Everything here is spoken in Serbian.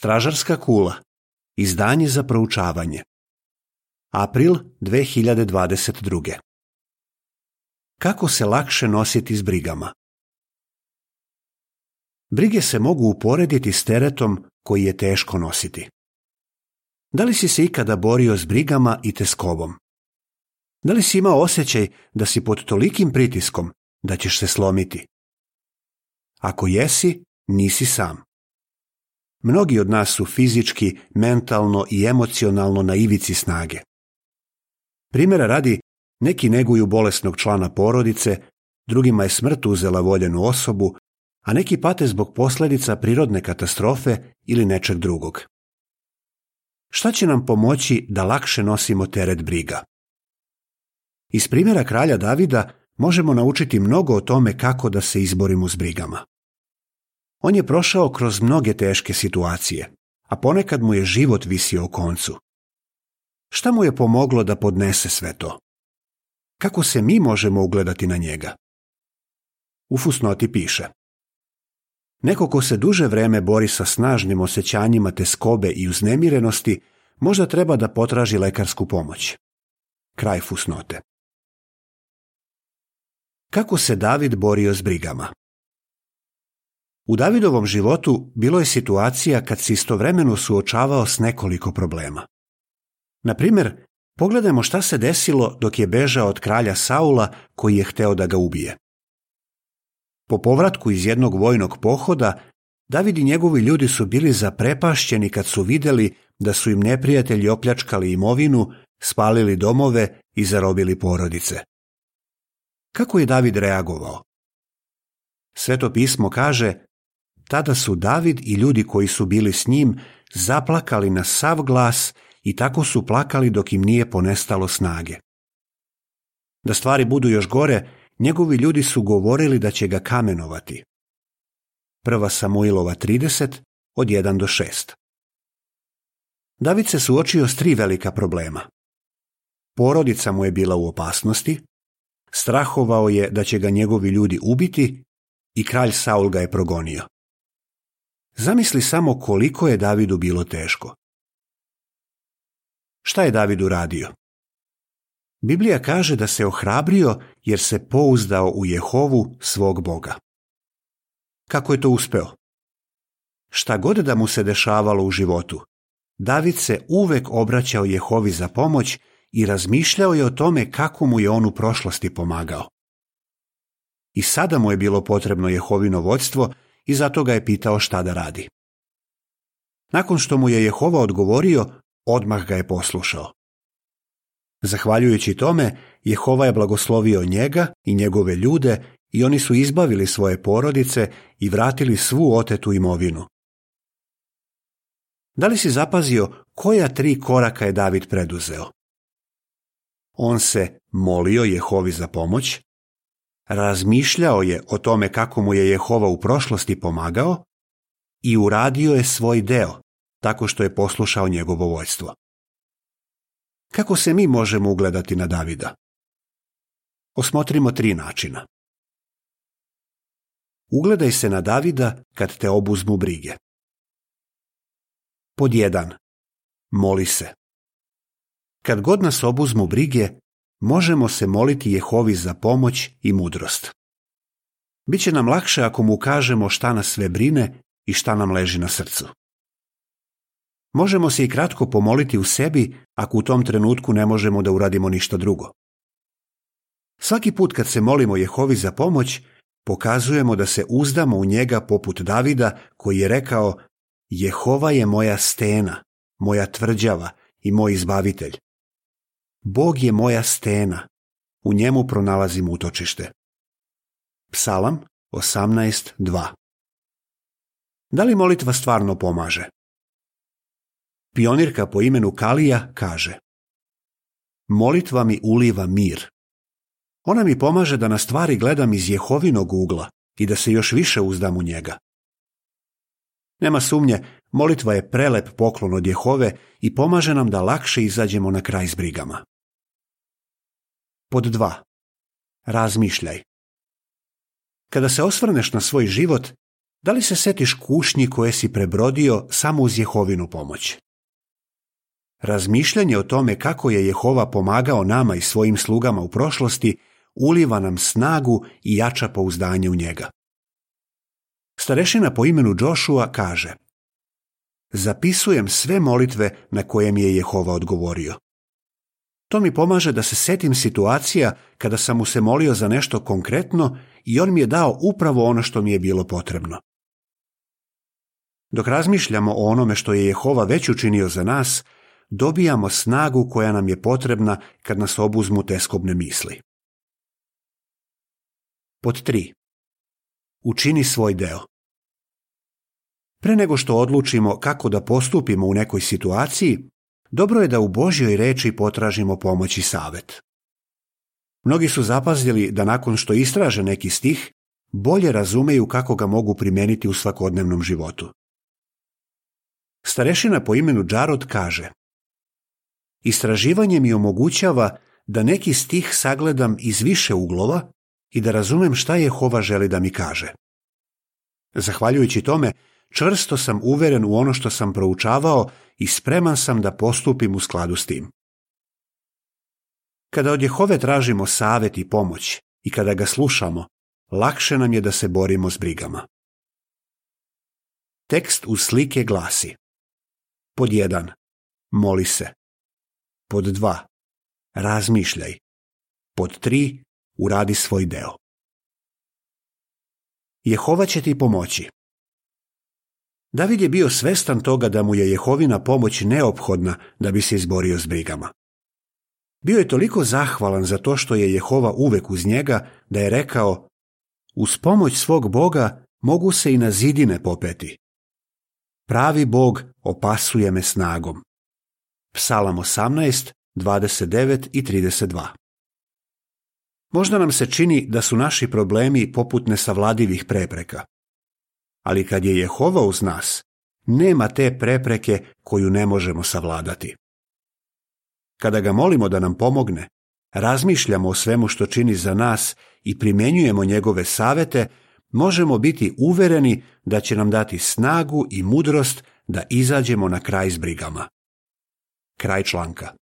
Stražarska kula. Izdanje za proučavanje. April 2022. Kako se lakše nositi s brigama? Brige se mogu uporediti s teretom koji je teško nositi. Da li si se ikada borio s brigama i teskobom? Da li si imao osjećaj da si pod tolikim pritiskom da ćeš se slomiti? Ako jesi, nisi sam. Mnogi od nas su fizički, mentalno i emocionalno na ivici snage. Primjera radi, neki neguju bolesnog člana porodice, drugima je smrt uzela voljenu osobu, a neki pate zbog posljedica prirodne katastrofe ili nečeg drugog. Šta će nam pomoći da lakše nosimo teret briga? Iz primjera kralja Davida možemo naučiti mnogo o tome kako da se izborimo s brigama. On je prošao kroz mnoge teške situacije, a ponekad mu je život visio u koncu. Šta mu je pomoglo da podnese sve to? Kako se mi možemo ugledati na njega? U fusnoti piše: neko ko se duže vreme bori sa snažnim osjećanjima teskobe i uznemirenosti, možda treba da potraži lekarsku pomoć. Kraj fusnote. Kako se David borio s brigama? U Davidovom životu bilo je situacija kad se istovremeno suočavao s nekoliko problema. Na primjer, pogledajmo šta se desilo dok je bežao od kralja Saula koji je hteo da ga ubije. Po povratku iz jednog vojnog pohoda, David i njegovi ljudi su bili zaprepašćeni kad su vidjeli da su im neprijatelji opljačkali imovinu, spalili domove i zarobili porodice. Kako je David reagovao? Sveto pismo kaže: tada su David i ljudi koji su bili s njim zaplakali na sav glas i tako su plakali dok im nije ponestalo snage. Da stvari budu još gore, njegovi ljudi su govorili da će ga kamenovati. 1. Samuilova 30, od 1 do 6. David se suočio s 3 velika problema. Porodica mu je bila u opasnosti, strahovao je da će ga njegovi ljudi ubiti i kralj Saul ga je progonio. Zamisli samo koliko je Davidu bilo teško. Šta je David uradio? Biblija kaže da se ohrabrio jer se pouzdao u Jehovu svog Boga. Kako je to uspeo? Šta god da mu se dešavalo u životu, David se uvek obraćao Jehovi za pomoć i razmišljao je o tome kako mu je on u prošlosti pomagao. I sada mu je bilo potrebno Jehovino vođstvo i zato ga je pitao šta da radi. Nakon što mu je Jehova odgovorio, odmah ga je poslušao. Zahvaljujući tome, Jehova je blagoslovio njega i njegove ljude i oni su izbavili svoje porodice i vratili svu otetu imovinu. Da li si zapazio koja 3 koraka je David preduzeo? On se molio Jehovi za pomoć, razmišljao je o tome kako mu je Jehova u prošlosti pomagao i uradio je svoj deo tako što je poslušao njegovo vođstvo. Kako se mi možemo ugledati na Davida? Osmotrimo 3 načina. Ugledaj se na Davida kad te obuzmu brige. Pod 1. Moli se. Kad god nas obuzmu brige, možemo se moliti Jehovi za pomoć i mudrost. Biće nam lakše ako mu kažemo šta nas sve brine i šta nam leži na srcu. Možemo se i kratko pomoliti u sebi ako u tom trenutku ne možemo da uradimo ništa drugo. Svaki put kad se molimo Jehovi za pomoć, pokazujemo da se uzdamo u njega poput Davida koji je rekao: Jehova je moja stena, moja tvrđava i moj izbavitelj. Bog je moja stena, u njemu pronalazim utočište. Psalam 18:2. Da li molitva stvarno pomaže? Pionirka po imenu Kalija kaže: molitva mi uliva mir. Ona mi pomaže da na stvari gledam iz Jehovinog ugla i da se još više uzdam u njega. Nema sumnje, molitva je prelep poklon od Jehove i pomaže nam da lakše izađemo na kraj s brigama. Pod 2. Razmišljaj. Kada se osvrneš na svoj život, Da li se setiš kušnji koje si prebrodio samo uz Jehovinu pomoć? Razmišljanje o tome kako je Jehova pomagao nama i svojim slugama u prošlosti uliva nam snagu i jača pouzdanje u njega. Starešina po imenu Joshua kaže: zapisujem sve molitve na koje mi je Jehova odgovorio. To mi pomaže da se setim situacija kada sam mu se molio za nešto konkretno i on mi je dao upravo ono što mi je bilo potrebno. Dok razmišljamo o onome što je Jehova već učinio za nas, dobijamo snagu koja nam je potrebna kad nas obuzmu teskobne misli. Pod 3. Učini svoj deo. Pre nego što odlučimo kako da postupimo u nekoj situaciji, dobro je da u Božjoj reči potražimo pomoć i savet. Mnogi su zapazili da nakon što istraže neki stih, bolje razumeju kako ga mogu primeniti u svakodnevnom životu. Starešina po imenu Džarod kaže: istraživanje mi omogućava da neki stih sagledam iz više uglova i da razumem šta Jehova želi da mi kaže. Zahvaljujući tome, čvrsto sam uveren u ono što sam proučavao i spreman sam da postupim u skladu s tim. Kada od Jehove tražimo savet i pomoć i kada ga slušamo, lakše nam je da se borimo s brigama. Tekst uz slike glasi: pod 1. Moli se. Pod 2. Razmišljaj. Pod 3. Uradi svoj deo. Jehova će ti pomoći. David je bio svestan toga da mu je Jehovina pomoć neophodna da bi se izborio s brigama. Bio je toliko zahvalan za to što je Jehova uvek uz njega da je rekao: uz pomoć svog Boga mogu se i na zidine popeti. Pravi Bog opasuje me snagom. Psalam 18, 29 i 32. Možda nam se čini da su naši problemi poput nesavladivih prepreka. Ali kad je Jehova uz nas, nema te prepreke koju ne možemo savladati. Kada ga molimo da nam pomogne, razmišljamo o svemu što čini za nas i primjenjujemo njegove savete, možemo biti uvereni da će nam dati snagu i mudrost da izađemo na kraj s brigama. Kraj članka.